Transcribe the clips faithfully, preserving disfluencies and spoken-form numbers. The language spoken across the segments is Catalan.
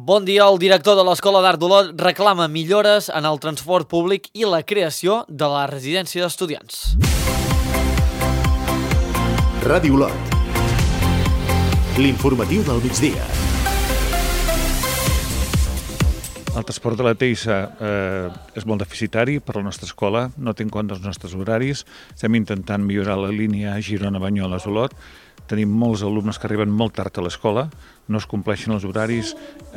Bon dia. El director de l'Escola d'Art d'Olot reclama millores en el transport públic i la creació de la residència d'estudiants. Ràdio Olot. L'informatiu del migdia. El transport de la Teissa eh, és molt deficitari per a la nostra escola, no té en compte els nostres horaris. Estem intentant millorar la línia Girona-Banyoles-Olot. Tenim molts alumnes que arriben molt tard a l'escola, no es compleixen els horaris,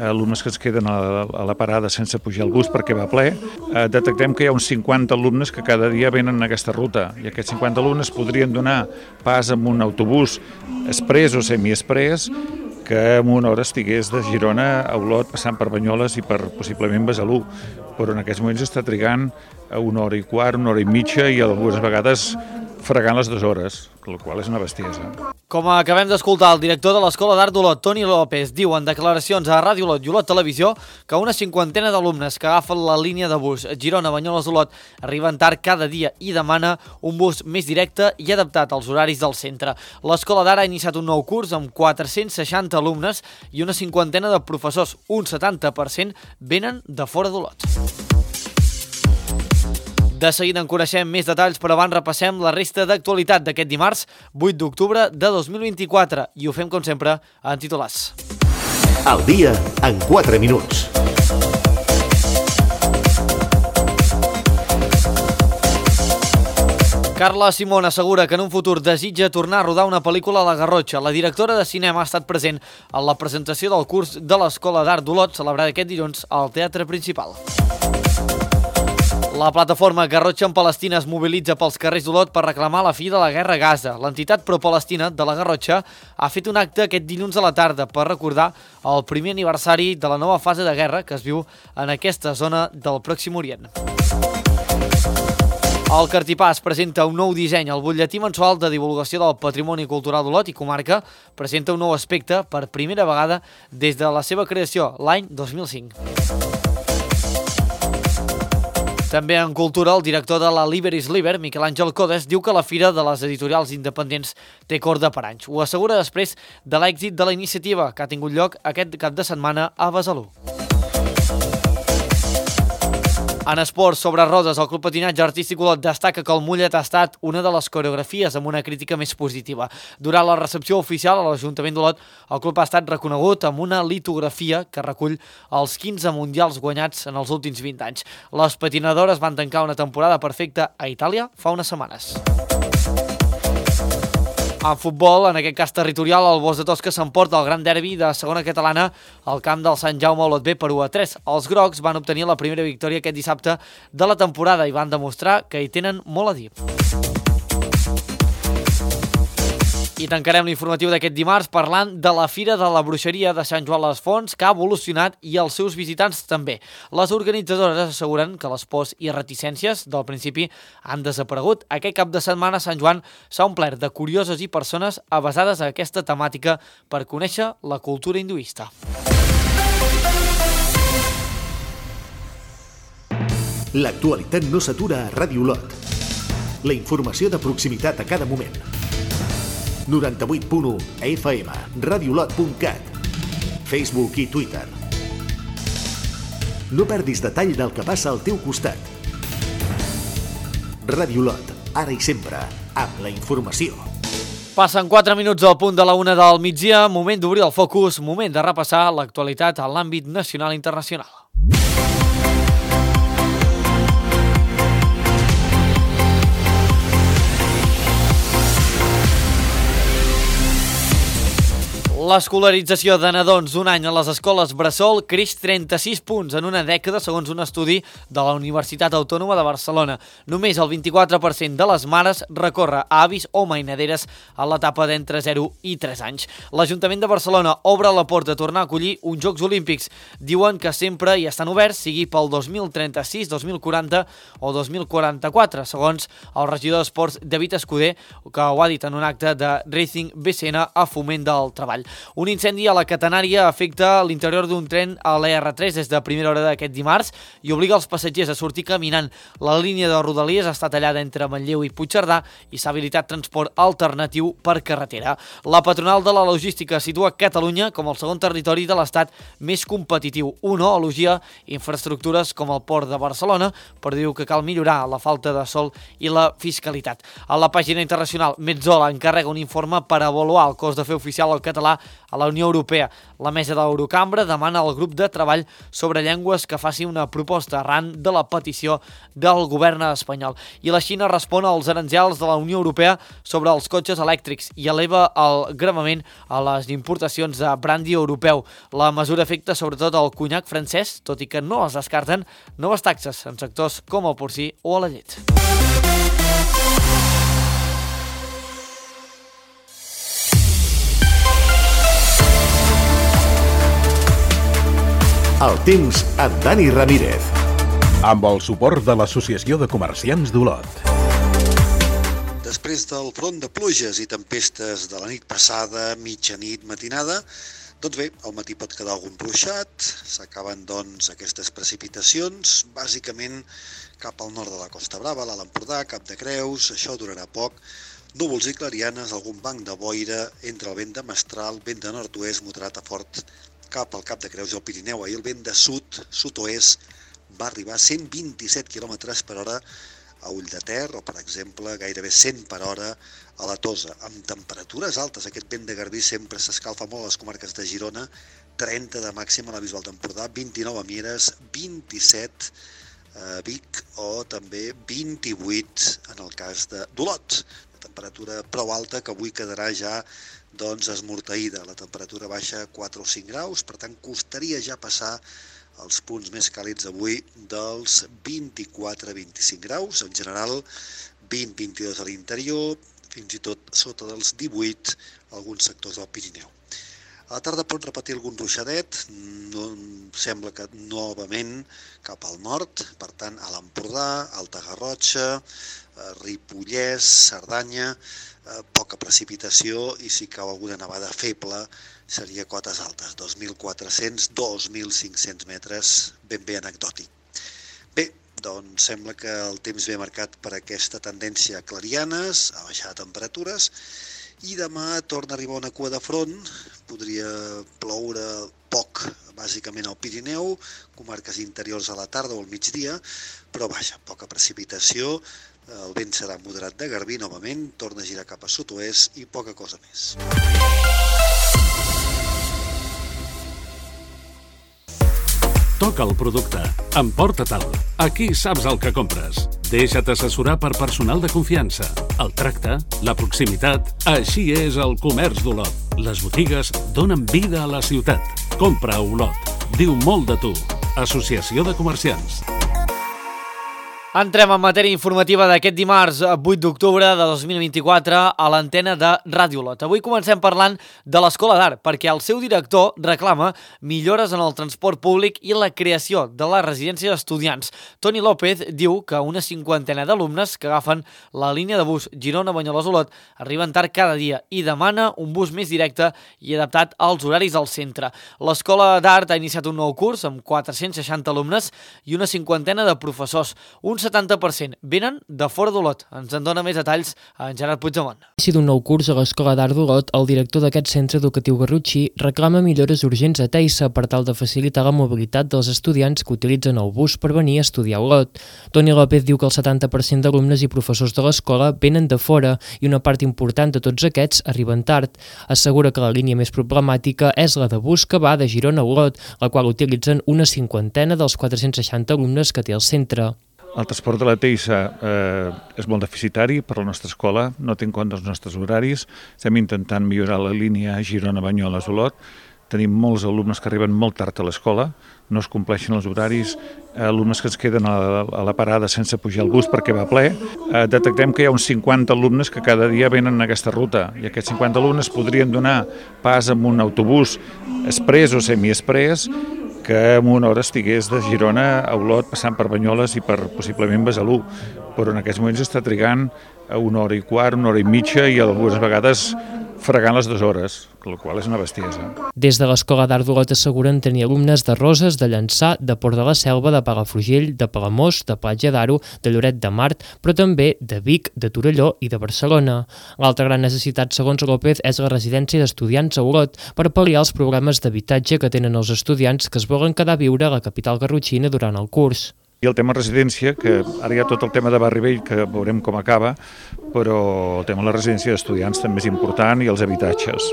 alumnes que es queden a la, a la parada sense pujar al bus perquè va ple. Eh, detectem que hi ha uns cinquanta alumnes que cada dia venen en aquesta ruta i aquests cinquanta alumnes podrien donar pas amb un autobús express o semi-express que en una hora estigués de Girona a Olot passant per Banyoles i per possiblement Besalú, però en aquests moments està trigant una hora i quart, una hora i mitja i algunes vegades fregant les dues hores, el qual és una bestiesa. Com acabem d'escoltar, el director de l'Escola d'Art d'Olot, Toni López, diu en declaracions a Ràdio Olot i Olot Televisió que una cinquantena d'alumnes que agafen la línia de bus Girona-Banyoles-Olot arriben tard cada dia i demana un bus més directe i adaptat als horaris del centre. L'Escola d'Art ha iniciat un nou curs amb quatre-cents seixanta alumnes i una cinquantena de professors, un setanta per cent, venen de fora d'Olot. De seguida en coneixem més detalls, però abans repassem la resta d'actualitat d'aquest dimarts, vuit d'octubre de dos mil vint-i-quatre, i ho fem, com sempre, en titulars. El dia en quatre minuts. Carla Simón assegura que en un futur desitja tornar a rodar una pel·lícula a la Garrotxa. La directora de cinema ha estat present en la presentació del curs de l'Escola d'Art d'Olot, celebrada aquest dilluns al Teatre Principal. La plataforma Garrotxa en Palestina es mobilitza pels carrers d'Olot per reclamar la fi de la guerra a Gaza. L'entitat pro-palestina de la Garrotxa ha fet un acte aquest dilluns a la tarda per recordar el primer aniversari de la nova fase de guerra que es viu en aquesta zona del Pròxim Orient. El Cartipàs presenta un nou disseny. El butlletí mensual de divulgació del patrimoni cultural d'Olot i comarca presenta un nou aspecte per primera vegada des de la seva creació l'any dos mil cinc. També en cultura, el director de la Liber is Liber, Miquel Àngel Codes, diu que la Fira de les Editorials Independents té corda per anys. Ho assegura després de l'èxit de la iniciativa que ha tingut lloc aquest cap de setmana a Besalú. En esports sobre rodes, el Club Patinatge Artístic Olot destaca que el mullet ha estat una de les coreografies amb una crítica més positiva. Durant la recepció oficial a l'Ajuntament d'Olot, el club ha estat reconegut amb una litografia que recull els quinze mundials guanyats en els últims vint anys. Les patinadores van tancar una temporada perfecta a Itàlia fa unes setmanes. En futbol, en aquest cas territorial, el Bos de Tosca s'emporta el gran derbi de segona catalana al camp del Sant Jaume Olot B per u a tres. Els grocs van obtenir la primera victòria aquest dissabte de la temporada i van demostrar que hi tenen molt a dir. I tancarem l'informatiu d'aquest dimarts parlant de la Fira de la Bruixeria de Sant Joan les Fonts, que ha evolucionat i els seus visitants també. Les organitzadores asseguren que les pors i reticències del principi han desaparegut. Aquest cap de setmana Sant Joan s'ha omplert de curioses i persones avesades a aquesta temàtica per conèixer la cultura hinduista. L'actualitat no s'atura a Ràdio Olot. La informació de proximitat a cada moment. noranta-vuit punt u a F M, radiolot punt cat, Facebook i Twitter. No perdis detall del que passa al teu costat. Ràdio Olot, ara i sempre, amb la informació. Passen quatre minuts al punt de la una del migdia, moment d'obrir el focus, moment de repassar l'actualitat en l'àmbit nacional i internacional. L'escolarització de nadons d'un any a les escoles bressol creix trenta-sis punts en una dècada, segons un estudi de la Universitat Autònoma de Barcelona. Només el vint-i-quatre per cent de les mares recorre a avis o mainaderes a l'etapa d'entre zero i tres anys. L'Ajuntament de Barcelona obre la porta a tornar a acollir uns Jocs Olímpics. Diuen que sempre hi estan oberts, sigui pel dos mil trenta-sis, dos mil quaranta o dos mil quaranta-quatre, segons el regidor d'Esports David Escudé, que ho ha dit en un acte de Racing B C N a Foment del Treball. Un incendi a la Catenària afecta l'interior d'un tren a l'E R tres des de primera hora d'aquest dimarts i obliga els passatgers a sortir caminant. La línia de Rodalies està tallada entre Manlleu i Puigcerdà i s'ha habilitat transport alternatiu per carretera. La patronal de la logística situa Catalunya com el segon territori de l'Estat més competitiu. UNO elogia infraestructures com el Port de Barcelona, però diu que cal millorar la falta de sol i la fiscalitat. A la pàgina internacional, Metzola encarrega un informe per avaluar el cost de fer oficial el català a la Unió Europea. La mesa de l'Eurocambra demana al grup de treball sobre llengües que faci una proposta arran de la petició del govern espanyol. I la Xina respon als aranzels de la Unió Europea sobre els cotxes elèctrics i eleva el gravament a les importacions de brandi europeu. La mesura afecta sobretot el conyac francès, tot i que no es descarten noves taxes en sectors com el porcí o a la llet. El temps amb Dani Ramírez. Amb el suport de l'Associació de Comerciants d'Olot. Després del front de pluges i tempestes de la nit passada, mitjanit, matinada, doncs bé, al matí pot quedar algun ruixat, s'acaben doncs aquestes precipitacions, bàsicament cap al nord de la Costa Brava, l'Alt Empordà, Cap de Creus, això durarà poc, núvols i clarianes, algun banc de boira entre el vent de mestral, vent de nord-oest, moderat a fort, cap al Cap de Creus i el Pirineu. Ahir el vent de sud, sud-oest, va arribar a cent vint-i-set quilòmetres per hora a Ulldeter o, per exemple, gairebé cent per hora a la Tosa. Amb temperatures altes, aquest vent de Garbí sempre s'escalfa molt a les comarques de Girona, trenta de màxima a la Bisbal d'Empordà, vint-i-nou a Mieres, vint-i-set a Vic o també vint-i-vuit en el cas d'Olot. Una temperatura prou alta que avui quedarà ja doncs esmorteïda. La temperatura baixa quatre o cinc graus, per tant costaria ja passar els punts més càlids avui dels vint-i-quatre a vint-i-cinc graus, en general vint a vint-i-dos a l'interior, fins i tot sota dels divuit alguns sectors del Pirineu. A la tarda pot repetir algun ruixadet, no, sembla que novament cap al nord, per tant a l'Empordà, Alta Garrotxa, Ripollès, Cerdanya, poca precipitació i si cau alguna nevada feble seria cotes altes, dos mil quatre-cents a dos mil cinc-cents metres, ben bé anecdòtic. Bé, doncs sembla que el temps ve marcat per aquesta tendència a clarianes, a baixar temperatures, i demà torna a arribar una cua de front, podria ploure poc, bàsicament al Pirineu, comarques interiors a la tarda o al migdia, però vaja, poca precipitació, el vent serà moderat de Garbí novament, torna a girar cap a sud-oest i poca cosa més. Toca el producte. Emporta-te'l. Aquí saps el que compres. Deixa't assessorar per personal de confiança. El tracte, la proximitat, així és el comerç d'Olot. Les botigues donen vida a la ciutat. Compra a Olot. Diu molt de tu. Associació de Comerciants. Entrem en matèria informativa d'aquest dimarts vuit d'octubre de dos mil vint-i-quatre a l'antena de Ràdio Olot. Avui comencem parlant de l'Escola d'Art, perquè el seu director reclama millores en el transport públic i la creació de la residència d'estudiants. Toni López diu que una cinquantena d'alumnes que agafen la línia de bus Girona-Banyoles-Olot arriben tard cada dia i demana un bus més directe i adaptat als horaris del centre. L'Escola d'Art ha iniciat un nou curs amb quatre-cents seixanta alumnes i una cinquantena de professors. Un setanta per cent venen de fora d'Olot. Ens en dona més detalls en Gerard Puigdemont. Inici d'un nou curs a l'Escola d'Art d'Olot, el director d'aquest centre educatiu Garrotxí reclama millores urgents a Teissa per tal de facilitar la mobilitat dels estudiants que utilitzen el bus per venir a estudiar a Olot. Toni López diu que el setanta per cent d'alumnes i professors de l'escola venen de fora i una part important de tots aquests arriben tard. Assegura que la línia més problemàtica és la de bus que va de Girona a Olot, la qual utilitzen una cinquantena dels quatre-cents seixanta alumnes que té el centre. El transport de la Teissa eh, és molt deficitari per a la nostra escola, no té en compte els nostres horaris. Estem intentant millorar la línia Girona-Banyoles-Olot. Tenim molts alumnes que arriben molt tard a l'escola, no es compleixen els horaris, alumnes que es queden a la, a la parada sense pujar al bus perquè va ple. Eh, detectem que hi ha uns cinquanta alumnes que cada dia venen en aquesta ruta i aquests cinquanta alumnes podrien donar pas amb un autobús express o semi-express que en una hora estigués de Girona a Olot passant per Banyoles i per possiblement Besalú, però en aquests moments està trigant una hora i quart, una hora i mitja i algunes vegades fregant les dues hores, la qual és una bestiesa. Des de l'Escola d'Art d'Olot asseguren tenir alumnes de Roses, de Llançà, de Port de la Selva, de Palafrugell, de Palamós, de Platja d'Aro, de Lloret de Mar, però també de Vic, de Torelló i de Barcelona. L'altra gran necessitat, segons López, és la residència d'estudiants a Olot per pal·liar els problemes d'habitatge que tenen els estudiants que es volen quedar a viure a la capital garrotxina durant el curs. I el tema residència, que ara hi ha tot el tema de Barri Vell, que veurem com acaba, però el tema de la residència d'estudiants també és important i els habitatges.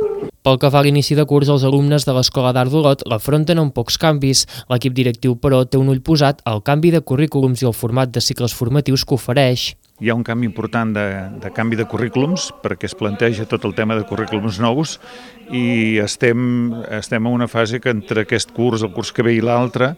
Pel que fa a l'inici de curs, els alumnes de l'Escola d'Art d'Olot l'afronten amb pocs canvis. L'equip directiu, però, té un ull posat al canvi de currículums i el format de cicles formatius que ofereix. Hi ha un canvi important de, de canvi de currículums, perquè es planteja tot el tema de currículums nous i estem, estem en una fase que entre aquest curs, el curs que ve i l'altre,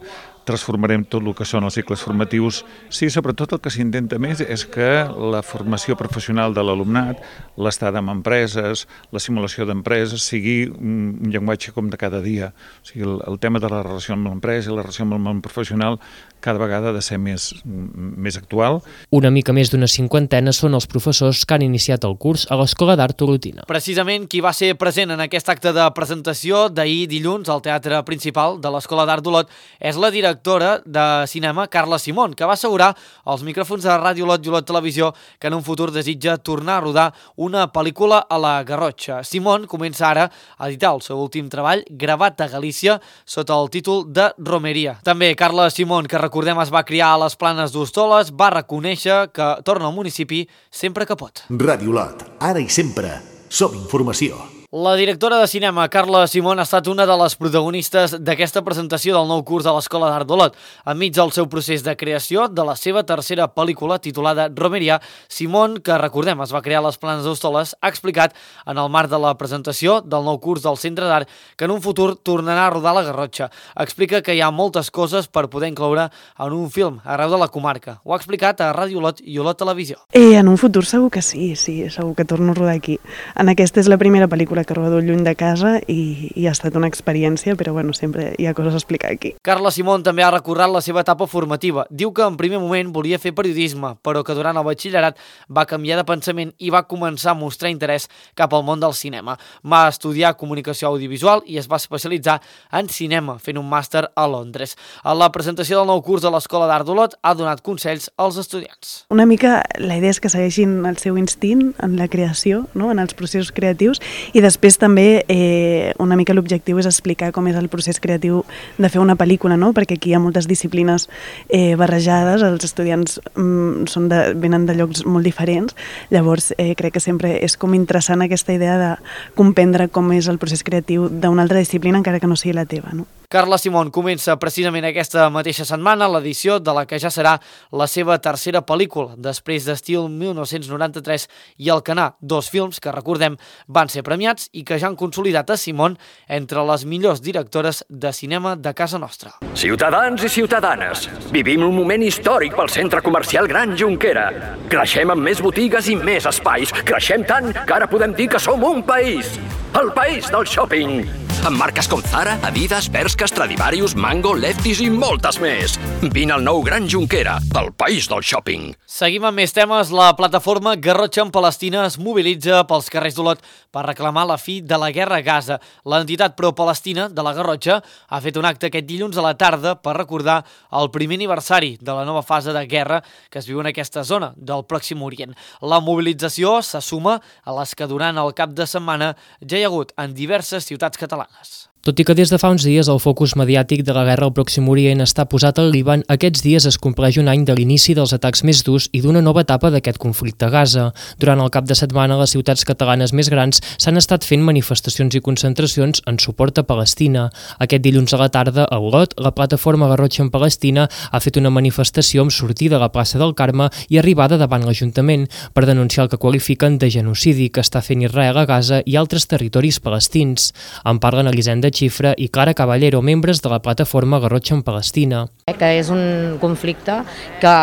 transformarem tot el que són els cicles formatius. Sí, sobretot el que s'intenta més és que la formació professional de l'alumnat, l'estada en empreses, la simulació d'empreses, sigui un llenguatge com de cada dia. O sigui, el, el tema de la relació amb l'empresa i la relació amb el món professional cada vegada ha de ser més, més actual. Una mica més d'una cinquantena són els professors que han iniciat el curs a l'Escola d'Art Olotina. Precisament qui va ser present en aquest acte de presentació d'ahir dilluns al Teatre Principal de l'Escola d'Art d'Olot és la directora de cinema Carla Simón, que va assegurar als micròfons de Ràdio Olot i Olot Televisió que en un futur desitja tornar a rodar una pel·lícula a la Garrotxa. Simón comença ara a editar el seu últim treball, gravat a Galícia, sota el títol de Romeria. També Carla Simón, que recordem es va criar a les Planes d'Hostoles, va reconèixer que torna al municipi sempre que pot. Ràdio Olot, ara i sempre, som informació. La directora de cinema, Carla Simón, ha estat una de les protagonistes d'aquesta presentació del nou curs a l'Escola d'Art d'Olot. Enmig del seu procés de creació de la seva tercera pel·lícula titulada Romeria, Simón, que recordem es va crear a les Planes d'Hostoles, ha explicat en el marc de la presentació del nou curs del Centre d'Art que en un futur tornarà a rodar la Garrotxa. Explica que hi ha moltes coses per poder incloure en un film arreu de la comarca. Ho ha explicat a Ràdio Olot i Olot Televisió. Eh, en un futur segur que sí, sí, segur que torno a rodar aquí. En aquesta és la primera pel·lícula que rodo lluny de casa i, i ha estat una experiència, però bueno, sempre hi ha coses a explicar aquí. Carla Simón també ha recordat la seva etapa formativa. Diu que en primer moment volia fer periodisme, però que durant el batxillerat va canviar de pensament i va començar a mostrar interès cap al món del cinema. Va estudiar comunicació audiovisual i es va especialitzar en cinema, fent un màster a Londres. A la presentació del nou curs de l'Escola d'Art d'Olot ha donat consells als estudiants. Una mica la idea és que segueixin el seu instint en la creació, no? En els processos creatius, i després també eh, una mica l'objectiu és explicar com és el procés creatiu de fer una pel·lícula, no? Perquè aquí hi ha moltes disciplines eh, barrejades, els estudiants mm, són de, venen de llocs molt diferents, llavors eh, crec que sempre és com interessant aquesta idea de comprendre com és el procés creatiu d'una altra disciplina encara que no sigui la teva, no? Carla Simón comença precisament aquesta mateixa setmana l'edició de la que ja serà la seva tercera pel·lícula, després d'Estil mil nou-cents noranta-tres i Alcanar, dos films que, recordem, van ser premiats i que ja han consolidat a Simón entre les millors directores de cinema de casa nostra. Ciutadans i ciutadanes, vivim un moment històric pel centre comercial Gran Jonquera. Creixem amb més botigues i més espais. Creixem tant que ara podem dir que som un país. El país del shopping. Amb marques com Zara, Adidas, Bershka, Stradivarius, Mango, Lefties i moltes més. Vine al nou Gran Jonquera, el país del shopping. Seguim amb més temes. La plataforma Garrotxa en Palestina es mobilitza pels carrers d'Olot per reclamar la fi de la guerra a Gaza. L'entitat pro-palestina de la Garrotxa ha fet un acte aquest dilluns a la tarda per recordar el primer aniversari de la nova fase de guerra que es viu en aquesta zona del Pròxim Orient. La mobilització se suma a les que durant el cap de setmana ja hi ha hagut en diverses ciutats catalanes. Tot i que des de fa uns dies el focus mediàtic de la guerra al Pròxim Orient està posat al Líban, aquests dies es compleix un any de l'inici dels atacs més durs i d'una nova etapa d'aquest conflicte a Gaza. Durant el cap de setmana, a les ciutats catalanes més grans s'han estat fent manifestacions i concentracions en suport a Palestina. Aquest dilluns a la tarda, a Olot, la plataforma Garrotxa en Palestina ha fet una manifestació amb sortida a la plaça del Carme i arribada davant l'Ajuntament per denunciar el que qualifiquen de genocidi que està fent Israel a Gaza i altres territoris palestins. En parlen Elisenda Xifra i Clara Caballero, membres de la plataforma Garrotxa en Palestina. Que és un conflicte que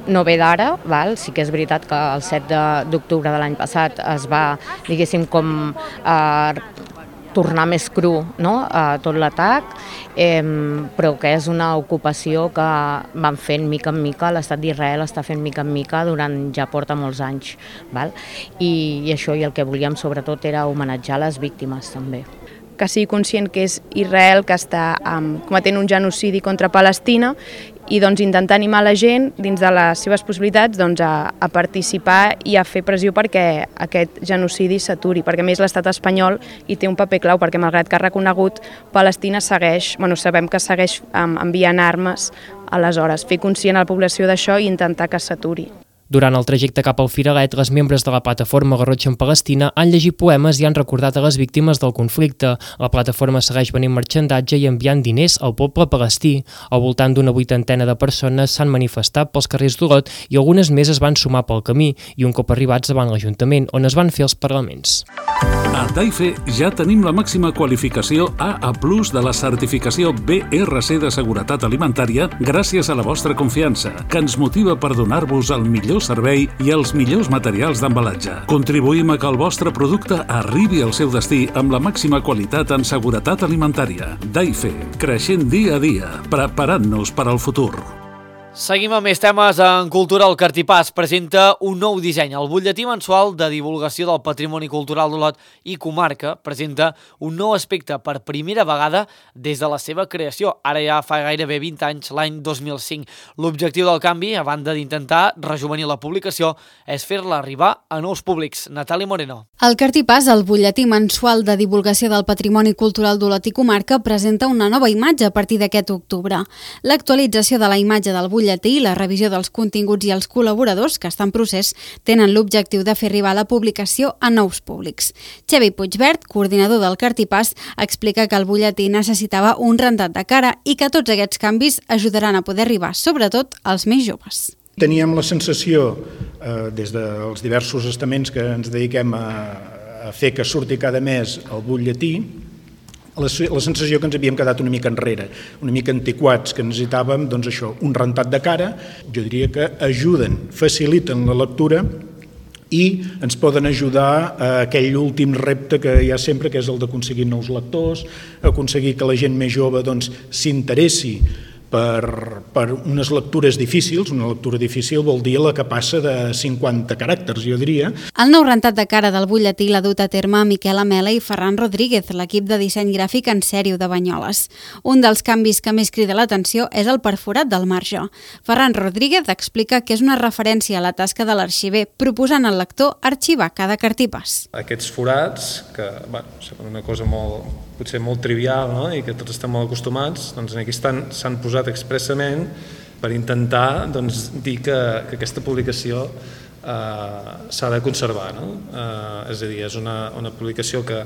no ve d'ara, val? Sí que és veritat que el set d'octubre de l'any passat es va, diguéssim, com eh, tornar més cru, no?, a tot l'atac, eh, però que és una ocupació que van fent mica en mica, l'estat d'Israel està fent mica en mica durant ja porta molts anys, val? I, i això, i el que volíem sobretot era homenatjar les víctimes també. Que sigui conscient que és Israel que està um, cometent un genocidi contra Palestina i doncs intentar animar la gent dins de les seves possibilitats doncs, a, a participar i a fer pressió perquè aquest genocidi s'aturi, perquè a més l'estat espanyol hi té un paper clau, perquè malgrat que ha reconegut, Palestina segueix, bueno, sabem que segueix um, enviant armes, aleshores fer conscient a la població d'això i intentar que s'aturi. Durant el trajecte cap al Firalet, les membres de la plataforma Garrotxa en Palestina han llegit poemes i han recordat a les víctimes del conflicte. La plataforma segueix venint marxandatge i enviant diners al poble palestí. Al voltant d'una vuitantena de persones s'han manifestat pels carrers d'Olot i algunes més es van sumar pel camí i un cop arribats davant l'Ajuntament, on es van fer els parlaments. A Taife ja tenim la màxima qualificació A A plus de la certificació B R C de seguretat alimentària gràcies a la vostra confiança, que ens motiva per donar-vos el millor servei i els millors materials d'embalatge. Contribuïm a que el vostre producte arribi al seu destí amb la màxima qualitat en seguretat alimentària. Taife, creixent dia a dia, preparant-nos per al futur. Seguim amb més temes. En cultura. El Cartipàs presenta un nou disseny. El butlletí mensual de divulgació del patrimoni cultural d'Olot i comarca presenta un nou aspecte per primera vegada des de la seva creació, ara ja fa gairebé vint anys, l'any dos mil cinc. L'objectiu del canvi, a banda d'intentar rejuvenir la publicació, és fer-la arribar a nous públics. Natàlia Moreno. El Cartipàs, el butlletí mensual de divulgació del patrimoni cultural d'Olot i comarca, presenta una nova imatge a partir d'aquest octubre. L'actualització de la imatge del butlletí i la revisió dels continguts i els col·laboradors, que està en procés, tenen l'objectiu de fer arribar la publicació a nous públics. Xavi Puigvert, coordinador del Cartipàs, explica que el butlletí necessitava un rentat de cara i que tots aquests canvis ajudaran a poder arribar, sobretot, als més joves. Teníem la sensació, eh, des dels diversos estaments que ens dediquem a, a fer que surti cada mes el butlletí, la, la sensació que ens havíem quedat una mica enrere, una mica antiquats, que necessitàvem doncs això, un rentat de cara. Jo diria que ajuden, faciliten la lectura i ens poden ajudar a aquell últim repte que hi ha sempre, que és el d'aconseguir nous lectors, aconseguir que la gent més jove doncs, s'interessi Per, per unes lectures difícils. Una lectura difícil vol dir la que passa de cinquanta caràcters, jo diria. El nou rentat de cara del butlletí l'ha dut a terme Miquel Amela i Ferran Rodríguez, l'equip de disseny gràfic en sèrio de Banyoles. Un dels canvis que més crida l'atenció és el perforat del marge. Ferran Rodríguez explica que és una referència a la tasca de l'arxiver, proposant al lector arxivar cada cartipàs. Aquests forats, que bueno, sembla una cosa molt, potser molt trivial, no? I que tots estem molt acostumats, doncs aquí s'han posat expressament per intentar doncs, dir que, que aquesta publicació eh, s'ha de conservar. No? Eh, és a dir, és una, una publicació que,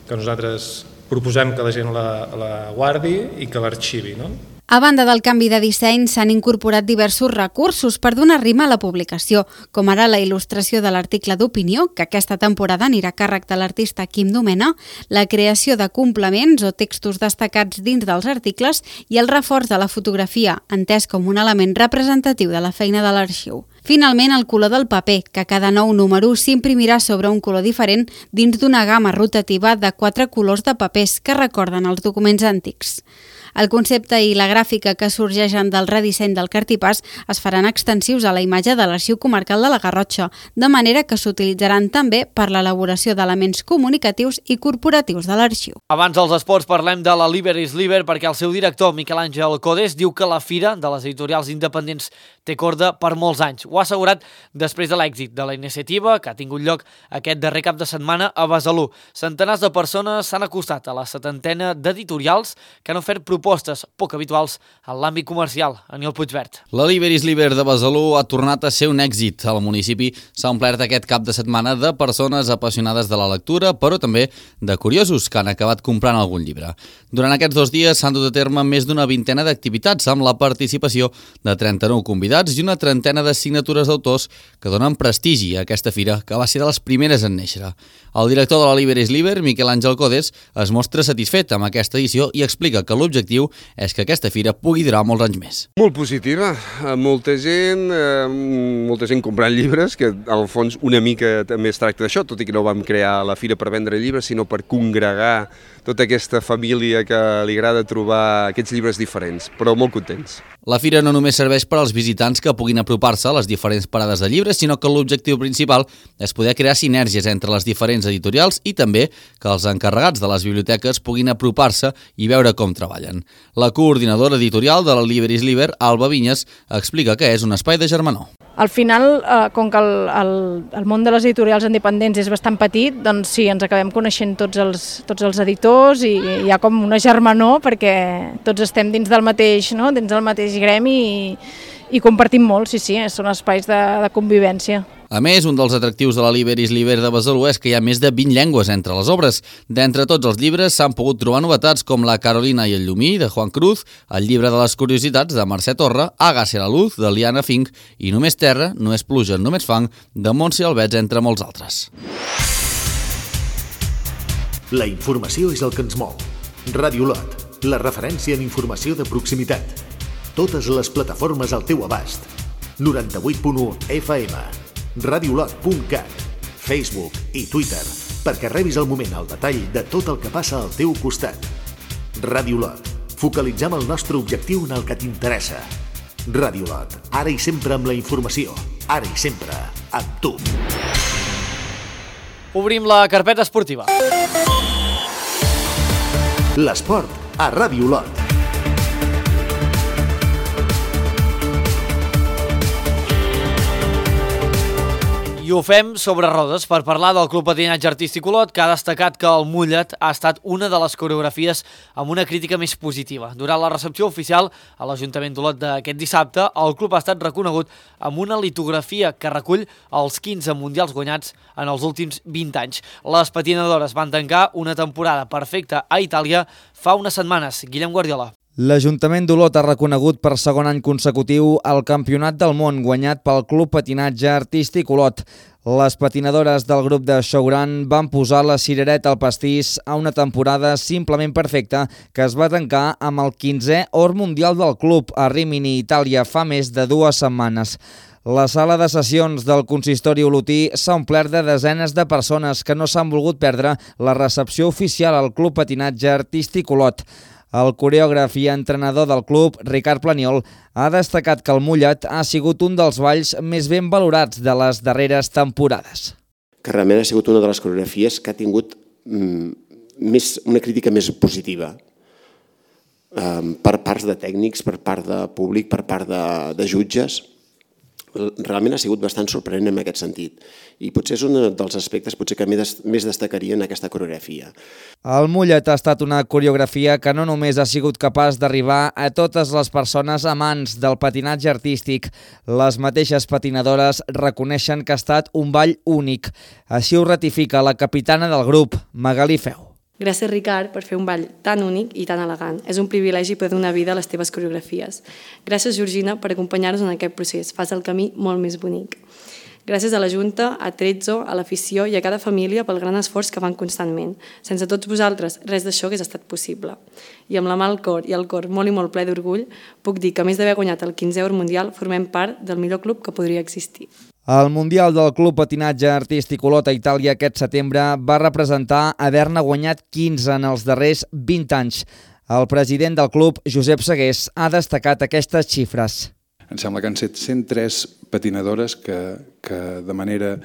que nosaltres proposem que la gent la, la guardi i que l'arxivi. No? A banda del canvi de disseny, s'han incorporat diversos recursos per donar rima a la publicació, com ara la il·lustració de l'article d'opinió, que aquesta temporada anirà a càrrec de l'artista Quim Domena, la creació de complements o textos destacats dins dels articles i el reforç de la fotografia, entès com un element representatiu de la feina de l'arxiu. Finalment, el color del paper, que cada nou número s'imprimirà sobre un color diferent dins d'una gamma rotativa de quatre colors de papers que recorden els documents antics. El concepte i la gràfica que sorgeixen del redisseny del Cartipàs es faran extensius a la imatge de l'Arxiu Comarcal de la Garrotxa, de manera que s'utilitzaran també per l'elaboració d'elements comunicatius i corporatius de l'arxiu. Abans dels esports parlem de la Liber is Liber, perquè el seu director, Miquel Àngel Codes, diu que la fira de les editorials independents té corda per molts anys. Ho ha assegurat després de l'èxit de la iniciativa que ha tingut lloc aquest darrer cap de setmana a Besalú. Centenars de persones s'han acostat a la setantena d'editorials que han ofert propostes poc habituals en l'àmbit comercial. Aniol Puigvert. La Liber is Liber de Besalú ha tornat a ser un èxit. Al municipi s'ha omplert aquest cap de setmana de persones apassionades de la lectura, però també de curiosos que han acabat comprant algun llibre. Durant aquests dos dies s'han dut a terme més d'una vintena d'activitats amb la participació de trenta-nou convidats universitats i una trentena de signatures d'autors que donen prestigi a aquesta fira, que va ser de les primeres en néixer. El director de la Liber is Liber, Miquel Àngel Codes, es mostra satisfet amb aquesta edició i explica que l'objectiu és que aquesta fira pugui durar molts anys més. Molt positiva, molta gent, molta gent comprant llibres, que al fons una mica també es tracta d'això, tot i que no vam crear la fira per vendre llibres, sinó per congregar tota aquesta família que li agrada trobar aquests llibres diferents, però molt contents. La fira no només serveix per als visitants que puguin apropar-se a les diferents parades de llibres, sinó que l'objectiu principal és poder crear sinergies entre les diferents editorials i també que els encarregats de les biblioteques puguin apropar-se i veure com treballen. La coordinadora editorial de la Liber is Liber, Alba Vinyes, explica que és un espai de germanor. Al final, eh, com que el, el, el món de les editorials independents és bastant petit, doncs sí, ens acabem coneixent tots els, tots els editors i hi ha com una germanor perquè tots estem dins del mateix, no? dins del mateix gremi i, i compartim molt, sí, sí, són espais de, de convivència. A més, un dels atractius de la Liber is Liber de Besalú és que hi ha més de vint llengües entre les obres. D'entre tots els llibres s'han pogut trobar novetats com La Carolina i el llumí, de Juan Cruz, El llibre de les curiositats, de Mercè Torre, Hágase la luz, de Liana Fink, i Només terra, no és pluja, només fang, de Montse Albets, entre molts altres. La informació és el que ens mou. Ràdio Lot, la referència en informació de proximitat. Totes les plataformes al teu abast. noranta-vuit punt u F M. radiolot punt cat, Facebook i Twitter, perquè rebis al moment el detall de tot el que passa al teu costat. Ràdio Lot, focalitzem el nostre objectiu en el que t'interessa. Ràdio Lot, ara i sempre amb la informació, ara i sempre amb tu. Obrim la carpeta esportiva. L'esport a Ràdio Lot. I ho fem sobre rodes per parlar del Club Patinatge Artístic Olot, que ha destacat que el Mullet ha estat una de les coreografies amb una crítica més positiva. Durant la recepció oficial a l'Ajuntament d'Olot d'aquest dissabte, el club ha estat reconegut amb una litografia que recull els quinze mundials guanyats en els últims vint anys. Les patinadores van tancar una temporada perfecta a Itàlia fa unes setmanes. Guillem Guardiola. L'Ajuntament d'Olot ha reconegut per segon any consecutiu el Campionat del Món guanyat pel Club Patinatge Artístic Olot. Les patinadores del grup de Showrun van posar la cirereta al pastís a una temporada simplement perfecta que es va tancar amb el quinzè or mundial del club a Rimini, Itàlia, fa més de dues setmanes. La sala de sessions del consistori olotí s'ha omplert de desenes de persones que no s'han volgut perdre la recepció oficial al Club Patinatge Artístic Olot. El coreògraf i entrenador del club, Ricard Planiol, ha destacat que el Mullet ha sigut un dels balls més ben valorats de les darreres temporades. Que realment ha sigut una de les coreografies que ha tingut mm, més, una crítica més positiva um, per parts de tècnics, per part de públic, per part de, de jutges. Realment ha sigut bastant sorprenent en aquest sentit i potser és un dels aspectes potser que més destacaria en aquesta coreografia. El Mullet ha estat una coreografia que no només ha sigut capaç d'arribar a totes les persones amants del patinatge artístic. Les mateixes patinadores reconeixen que ha estat un ball únic. Així ho ratifica la capitana del grup, Magalí Feu. Gràcies, Ricard, per fer un ball tan únic i tan elegant. És un privilegi poder donar vida a les teves coreografies. Gràcies, Georgina, per acompanyar-nos en aquest procés. Fas el camí molt més bonic. Gràcies a la Junta, a Trezzo, a l'afició i a cada família pel gran esforç que fan constantment. Sense tots vosaltres, res d'això hagués estat possible. I amb la mà al cor i el cor molt i molt ple d'orgull, puc dir que a més d'haver guanyat el quinzè or mundial, formem part del millor club que podria existir. El Mundial del Club Patinatge Artístic Olot a Itàlia aquest setembre va representar haver-ne guanyat quinze en els darrers vint anys. El president del club, Josep Segués, ha destacat aquestes xifres. Em sembla que han estat cent tres patinadores que, que de manera,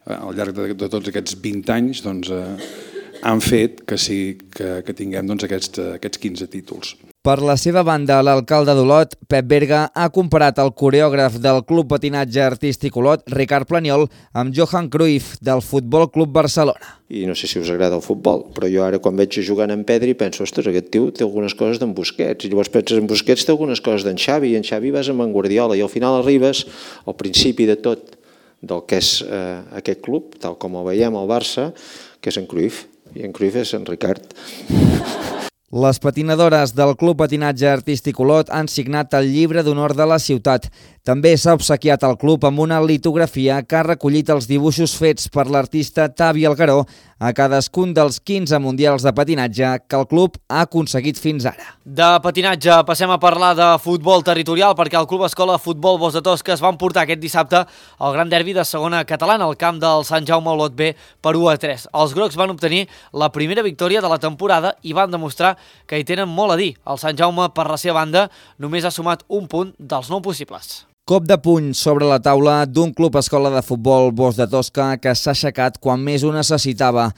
al llarg de, de tots aquests vint anys, doncs, eh, han fet que, sí, que, que tinguem doncs, aquests, aquests quinze títols. Per la seva banda, l'alcalde d'Olot, Pep Berga, ha comparat el coreògraf del Club Patinatge Artístic Olot, Ricard Planiol, amb Johan Cruyff, del Futbol Club Barcelona. I no sé si us agrada el futbol, però jo ara quan veig jugant en Pedri penso, ostres, aquest tio té algunes coses d'en Busquets, i llavors penses en Busquets té algunes coses d'en Xavi, i en Xavi vas amb en Guardiola, i al final arribes al principi de tot del que és eh, aquest club, tal com el veiem al Barça, que és en Cruyff, i en Cruyff és en Ricard. Les patinadores del Club Patinatge Artístic Olot han signat el llibre d'honor de la ciutat. També s'ha obsequiat al club amb una litografia que ha recollit els dibuixos fets per l'artista Tavi Algaró a cadascun dels quinze mundials de patinatge que el club ha aconseguit fins ara. De patinatge passem a parlar de futbol territorial perquè el Club Escola Futbol Bosc de Tosca es va emportar aquest dissabte al gran derbi de segona catalana al camp del Sant Jaume Olot B per u a tres. Els grocs van obtenir la primera victòria de la temporada i van demostrar que hi tenen molt a dir. El Sant Jaume, per la seva banda, només ha sumat un punt dels nou possibles. Cop de puny sobre la taula d'un club escola de futbol Bosc de Tosca que s'ha aixecat quan més ho necessitava.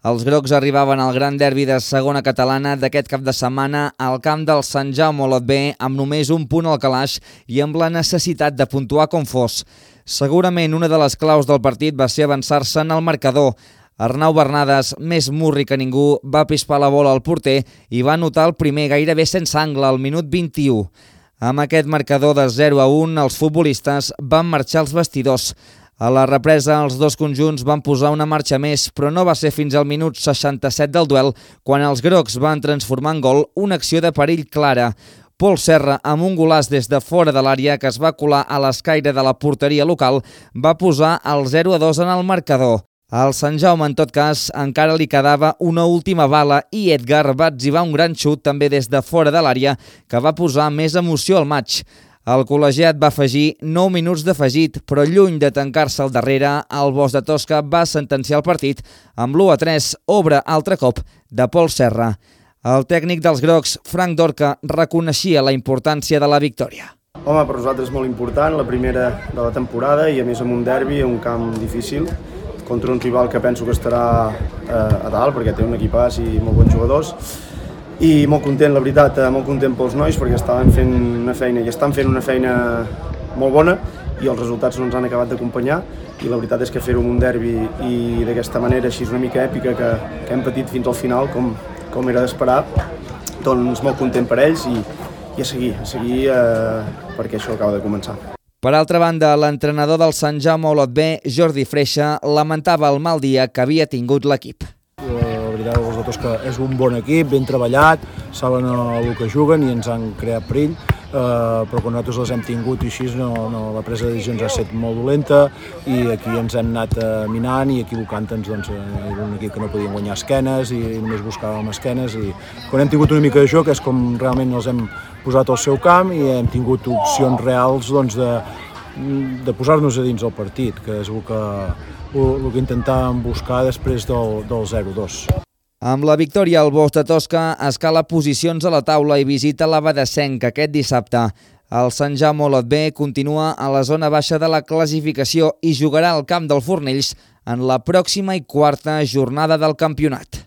Els grocs arribaven al gran derbi de segona catalana d'aquest cap de setmana al camp del Sant Jaume Olot B amb només un punt al calaix i amb la necessitat de puntuar com fos. Segurament una de les claus del partit va ser avançar-se en el marcador. Arnau Bernades, més murri que ningú, va pispar la bola al porter i va anotar el primer gairebé sense angle al minut vint-i-u. Amb aquest marcador de zero a un, els futbolistes van marxar als vestidors. A la represa, els dos conjunts van posar una marxa més, però no va ser fins al minut seixanta-set del duel quan els grocs van transformar en gol una acció de perill clara. Pol Serra, amb un golaç des de fora de l'àrea que es va colar a l'escaire de la porteria local, va posar el zero a dos en el marcador. Al Sant Jaume, en tot cas, encara li quedava una última bala i Edgar va etzibar un gran xut també des de fora de l'àrea que va posar més emoció al maig. El col·legiat va afegir nou minuts d'afegit, però lluny de tancar-se al darrere, el Bosc de Tosca va sentenciar el partit amb l'u a tres, obra altre cop de Pol Serra. El tècnic dels grocs, Frank Dorca, reconeixia la importància de la victòria. Home, per nosaltres és molt important, la primera de la temporada i a més amb un derbi, un camp difícil, contra un rival que penso que estarà eh, a dalt perquè té un equipàs i molt bons jugadors i molt content, la veritat, eh, molt content pels nois perquè estaven fent una feina i estan fent una feina molt bona i els resultats no ens han acabat d'acompanyar i la veritat és que fer-ho en un derbi i d'aquesta manera així una mica èpica que, que hem patit fins al final com, com era d'esperar, doncs molt content per ells i, i a seguir, a seguir eh, perquè això acaba de començar. Per altra banda, l'entrenador del Sant Jaume Olot B, Jordi Freixa, lamentava el mal dia que havia tingut l'equip. La veritat, els de Tosca és un bon equip, ben treballat, saben el que juguen i ens han creat perill, eh, però quan nosaltres les hem tingut i així no, no, la presa de decisions ha estat molt dolenta i aquí ens hem anat eh, minant i equivocant-nos, doncs, eh, era un equip que no podíem guanyar esquenes i només buscàvem esquenes i quan hem tingut una mica de joc és com realment els hem posat al seu camp i hem tingut opcions reals doncs, de, de posar-nos a dins del partit, que és el que, el, el que intentàvem buscar després del, del zero a dos. Amb la victòria, el Bosc de Tosca escala posicions a la taula i visita l'Abadessenc aquest dissabte. El Sant Jaume Olot B continua a la zona baixa de la classificació i jugarà al camp del Fornells en la pròxima i quarta jornada del campionat.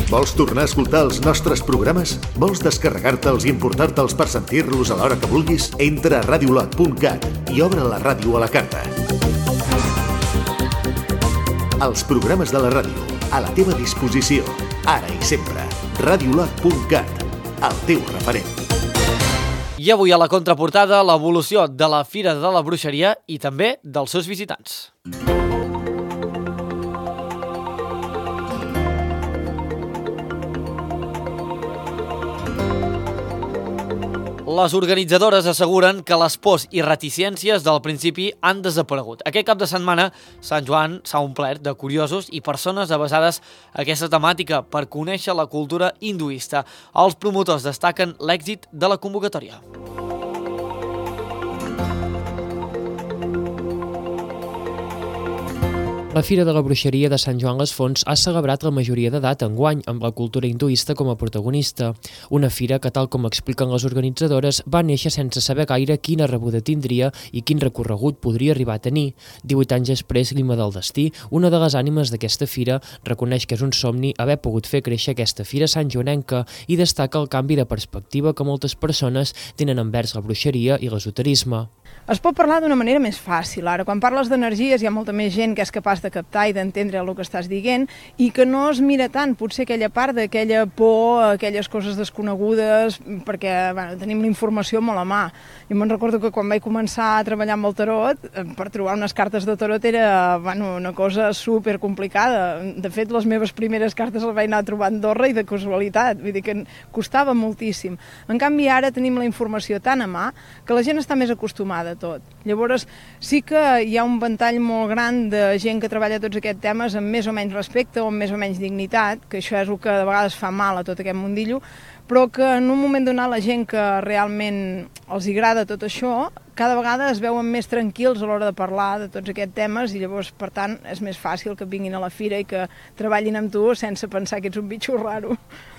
Vols tornar a escoltar els nostres programes? Vols descarregar-te'ls i importar-te'ls per sentir-los a l'hora que vulguis? Entra a radiolot punt cat i obre la ràdio a la carta. Els programes de la ràdio, a la teva disposició, ara i sempre. radiolot punt cat, el teu referent. I avui a la contraportada, l'evolució de la Fira de la Bruixeria i també dels seus visitants. Les organitzadores asseguren que les pors i reticències del principi han desaparegut. Aquest cap de setmana, Sant Joan s'ha omplert de curiosos i persones avesades a aquesta temàtica per conèixer la cultura hinduista. Els promotors destaquen l'èxit de la convocatòria. La Fira de la Bruixeria de Sant Joan les Fonts ha celebrat la majoria d'edat enguany amb la cultura hinduista com a protagonista. Una fira que, tal com expliquen les organitzadores, va néixer sense saber gaire quina rebuda tindria i quin recorregut podria arribar a tenir. divuit anys després, Lima del Destí, una de les ànimes d'aquesta fira, reconeix que és un somni haver pogut fer créixer aquesta fira santjoanenca i destaca el canvi de perspectiva que moltes persones tenen envers la bruixeria i l'esoterisme. Es pot parlar d'una manera més fàcil. Ara, quan parles d'energies hi ha molta més gent que és capaç de captar i d'entendre el que estàs dient i que no es mira tant potser aquella part d'aquella por, aquelles coses desconegudes, perquè bueno, tenim la informació molt a mà. Jo me'n recordo que quan vaig començar a treballar amb el tarot, per trobar unes cartes de tarot era bueno, una cosa super complicada. De fet, les meves primeres cartes les vaig anar a trobar a Andorra i de casualitat, vull dir que costava moltíssim. En canvi, ara tenim la informació tan a mà que la gent està més acostumada tot. Llavors, sí que hi ha un ventall molt gran de gent que treballa tots aquests temes amb més o menys respecte o amb més o menys dignitat, que això és el que de vegades fa mal a tot aquest mundillo, però que en un moment donat la gent que realment els agrada tot això, cada vegada es veuen més tranquils a l'hora de parlar de tots aquests temes i llavors, per tant, és més fàcil que vinguin a la fira i que treballin amb tu sense pensar que ets un bitxo raro.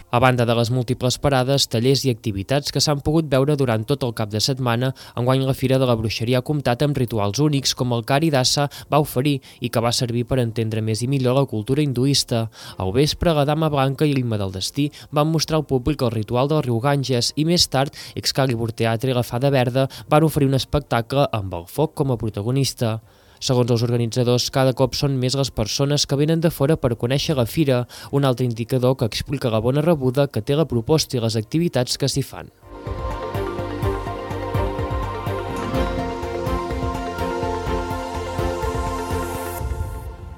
A banda de les múltiples parades, tallers i activitats que s'han pogut veure durant tot el cap de setmana, enguany la Fira de la Bruixeria ha comptat amb rituals únics com el Kari Dasa va oferir i que va servir per entendre més i millor la cultura hinduista. Al vespre, la Dama Blanca i l'Himne del Destí van mostrar al públic el ritual del riu Ganges i més tard, Excalibur Teatre i la Fada Verda van oferir un espectacle amb el foc com a protagonista. Segons els organitzadors, cada cop són més les persones que venen de fora per conèixer la fira, un altre indicador que explica la bona rebuda que té la proposta i les activitats que s'hi fan.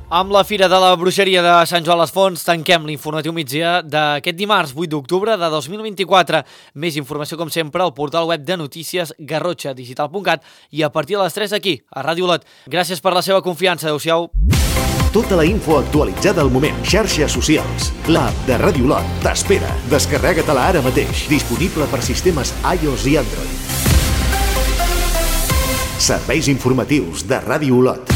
Amb la Fira de la Bruixeria de Sant Joan les Fonts tanquem l'informatiu migdia d'aquest dimarts vuit d'octubre de dos mil vint-i-quatre. Més informació, com sempre, al portal web de notícies garrotxa digital punt cat i a partir de les tres aquí, a Ràdio Olot. Gràcies per la seva confiança. Adéu-siau. Tota la info actualitzada al moment. Xarxes socials. L'app de Ràdio Olot t'espera. Descarrega-te-la ara mateix. Disponible per sistemes iOS i Android. Serveis informatius de Ràdio Olot.